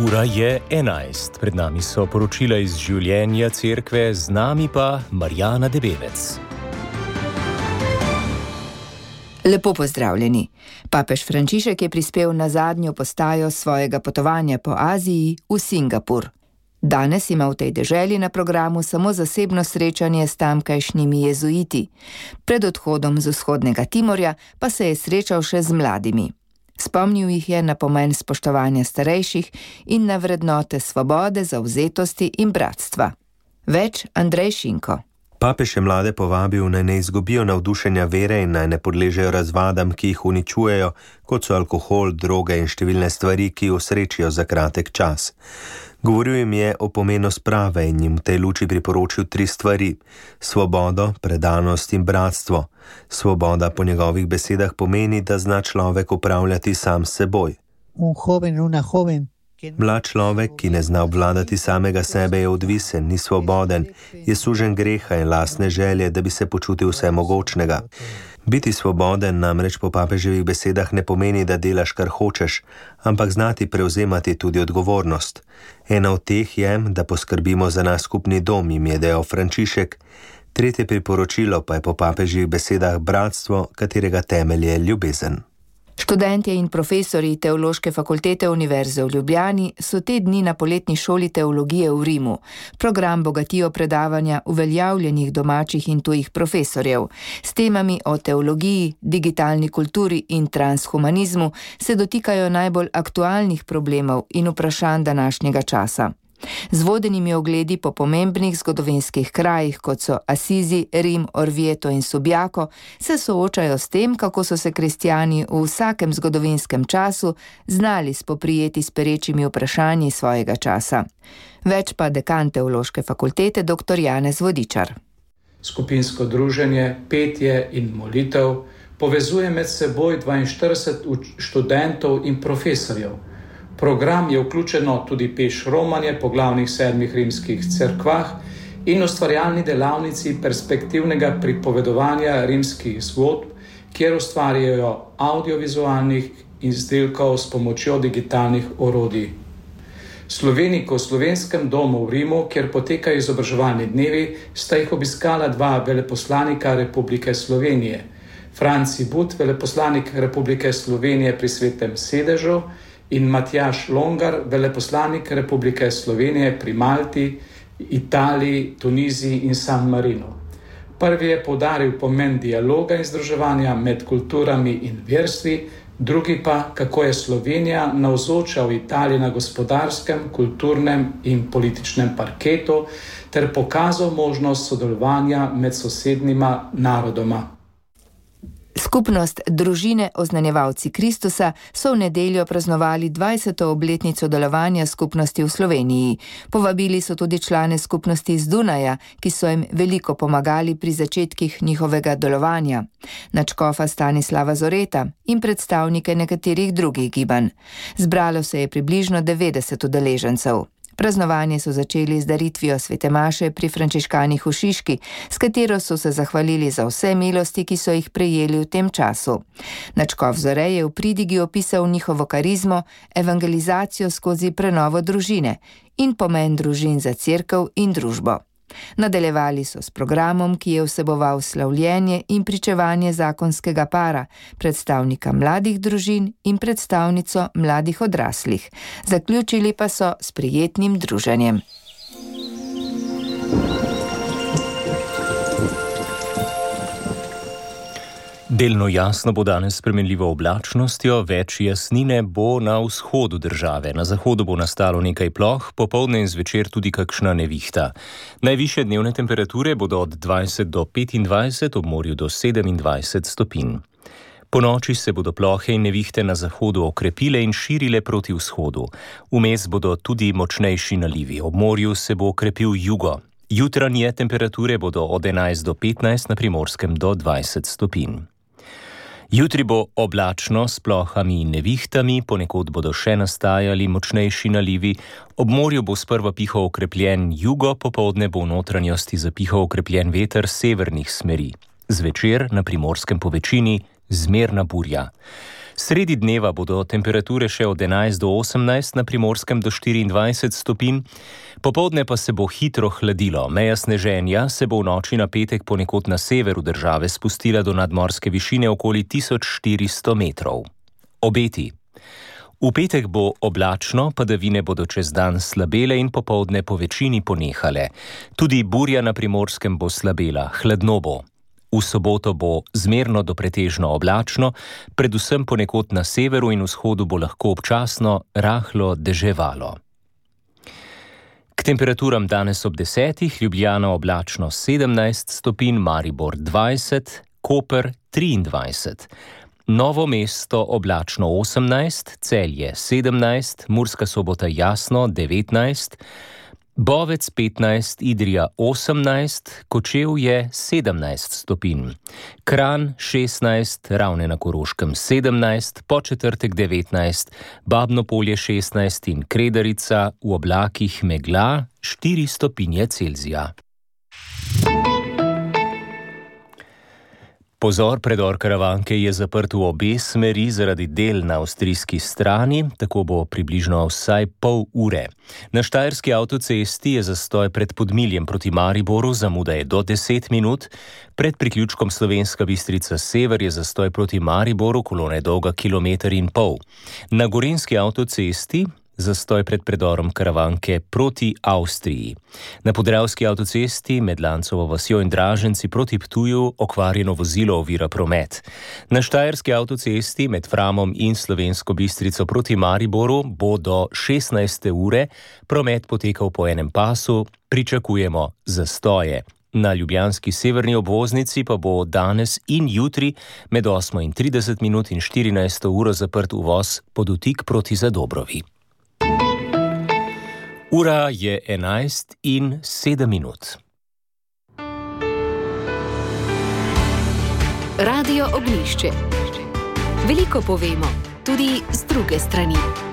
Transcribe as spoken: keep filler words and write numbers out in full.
Ura je enajst. Pred nami so poročila iz življenja cerkve, z nami pa Marjana Debevec. Lepo pozdravljeni. Papež Frančišek je prispel na zadnjo postajo svojega potovanja po Aziji v Singapur. Danes ima v tej deželi na programu samo zasebno srečanje s tamkajšnjimi jezuiti. Pred odhodom z vzhodnega Timorja pa se je srečal še z mladimi. Spomnil jih je na pomen spoštovanja starejših in na vrednote svobode, zavzetosti in bratstva. Več Andrej Šinko. Papež je mlade povabil, naj ne izgubijo navdušenja vere in naj ne podležejo razvadam, ki jih uničujejo, kot so alkohol, droge in številne stvari, ki osrečijo za kratek čas. Govoril jim je o pomenu sprave in jim v tej luči priporočil tri stvari: svobodo, predanost in bratstvo. Svoboda po njegovih besedah pomeni, da zna človek upravljati sam s seboj. Un joven, una joven. Mlad človek, ki ne zna obvladati samega sebe, je odvisen, ni svoboden, je sužen greha in lastne želje, da bi se počutil vsemogočnega. Biti svoboden namreč po papeževih besedah ne pomeni, da delaš, kar hočeš, ampak znati prevzemati tudi odgovornost. Ena od teh je, da poskrbimo za naš skupni dom, jim je dejal Frančišek. Tretje priporočilo pa je po papeževih besedah bratstvo, katerega temelj je ljubezen. Študentje in profesorji Teološke fakultete Univerze v Ljubljani so te dni na poletni šoli teologije v Rimu. Program bogatijo predavanja uveljavljenih domačih in tujih profesorjev. S temami o teologiji, digitalni kulturi in transhumanizmu se dotikajo najbolj aktualnih problemov in vprašanj današnjega časa. Z vodenimi ogledi po pomembnih zgodovinskih krajih, kot so Asizi, Rim, Orvieto in Subiaco, se soočajo s tem, kako so se kristjani v vsakem zgodovinskem času znali spoprijeti s perečimi vprašanji svojega časa. Več pa dekan Teološke fakultete dr. Janez Vodičar. Skupinsko druženje, petje in molitev povezuje med seboj dvainštirideset študentov in profesorjev. Program je vključeno tudi peš romanje po glavnih sedmih rimskih cerkvah in ustvarjalni delavnici perspektivnega pripovedovanja rimskih zgodb, kjer ustvarjajo audiovizualnih izdelkov s pomočjo digitalnih orodij. Sloveniko v Slovenskem domu v Rimu, kjer potekajo izobraževalni dnevi, sta jih obiskala dva veleposlanika Republike Slovenije. Franci But, veleposlanik Republike Slovenije pri Svetem sedežu, in Matjaž Longar, veleposlanik Republike Slovenije pri Malti, Italiji, Tuniziji in San Marinu. Prvi je poudaril pomen dialoga in združevanja med kulturami in verstvi, drugi pa, kako je Slovenija navzoča v Italiji na gospodarskem, kulturnem in političnem parketu ter pokazal možnost sodelovanja med sosednjima narodoma. Skupnost Družine oznanjevalci Kristusa so v nedeljo praznovali dvajseto obletnico delovanja skupnosti v Sloveniji. Povabili so tudi člane skupnosti iz Dunaja, ki so jim veliko pomagali pri začetkih njihovega delovanja, nadškofa Stanislava Zoreta in predstavnike nekaterih drugih gibanj. Zbralo se je približno devetdeset udeležencev. Praznovanje so začeli z daritvijo svete maše pri frančiškanih v Šiški, s katero so se zahvalili za vse milosti, ki so jih prejeli v tem času. Nadškof Zore je v pridigi opisal njihovo karizmo, evangelizacijo skozi prenovo družine in pomen družin za cerkev in družbo. Nadaljevali so s programom, ki je vseboval slavljenje in pričevanje zakonskega para, predstavnika mladih družin in predstavnico mladih odraslih. Zaključili pa so s prijetnim druženjem. Delno jasno bo danes s spremenljivo oblačnostjo, več jasnine bo na vzhodu države. Na zahodu bo nastalo nekaj ploh, popoldne in zvečer tudi kakšna nevihta. Najvišje dnevne temperature bodo od dvajset do petindvajset, ob morju do sedemindvajset stopinj. Po noči se bodo plohe in nevihte na zahodu okrepile in širile proti vzhodu. Vmes bodo tudi močnejši nalivi, ob morju se bo okrepil jugo. Jutranje temperature bodo od enajst do petnajst, na Primorskem do dvajset stopinj. Jutri bo oblačno s plohami in nevihtami, ponekod bodo še nastajali močnejši nalivi, ob morju bo sprva pihal okrepljen jugo, popoldne bo v notranjosti zapihal okrepljen veter severnih smeri. Zvečer na Primorskem po večini zmerna burja. Sredi dneva bodo temperature še od enajst do osemnajst, na Primorskem do štiriindvajset stopinj, popoldne pa se bo hitro hladilo. Meja sneženja se bo v noči na petek ponekod na severu države spustila do nadmorske višine okoli tisoč štiristo metrov. Obeti. V petek bo oblačno, padavine bodo čez dan slabele in popoldne po večini ponehale. Tudi burja na Primorskem bo slabela, hladno bo. V soboto bo zmerno do pretežno oblačno, predvsem ponekod na severu in vzhodu bo lahko občasno rahlo deževalo. K temperaturam danes ob desetih, Ljubljana oblačno sedemnajst stopinj, Maribor dvajset, Koper triindvajset, Novo mesto oblačno osemnajst, Celje sedemnajst, Murska Sobota jasno devetnajst, Bovec petnajst, Idrija osemnajst, Kočevje sedemnajst stopinj, Kranj šestnajst, Ravne na Koroškem sedemnajst, Podčetrtek devetnajst, Babno Polje šestnajst in Kredarica v oblakih megla štiri stopinje Celzija. Pozor, predor Karavanke je zaprt v obe smeri zaradi del na avstrijski strani, tako bo približno vsaj pol ure. Na Štajerski avtocesti je zastoj pred Podmiljem proti Mariboru, zamuda je do deset minut, pred priključkom Slovenska Bistrica sever je zastoj proti Mariboru, kolona je dolga kilometer in pol. Na Gorenjski avtocesti zastoj pred predorom Karavanke proti Avstriji. Na Podravski avtocesti med Lancovo vasjo in Draženci proti Ptuju okvarjeno vozilo ovira promet. Na Štajerski avtocesti med Framom in Slovensko Bistrico proti Mariboru bo do šestnajste ure promet potekal po enem pasu, pričakujemo zastoje. Na ljubljanski severni obvoznici pa bo danes in jutri med osmo in trideset minut in štirinajsto uro zaprt uvoz Podutik proti Zadobrovi. Ura je enajst in sedem minut. Radio Ognjišče. Veliko povemo, tudi z druge strani.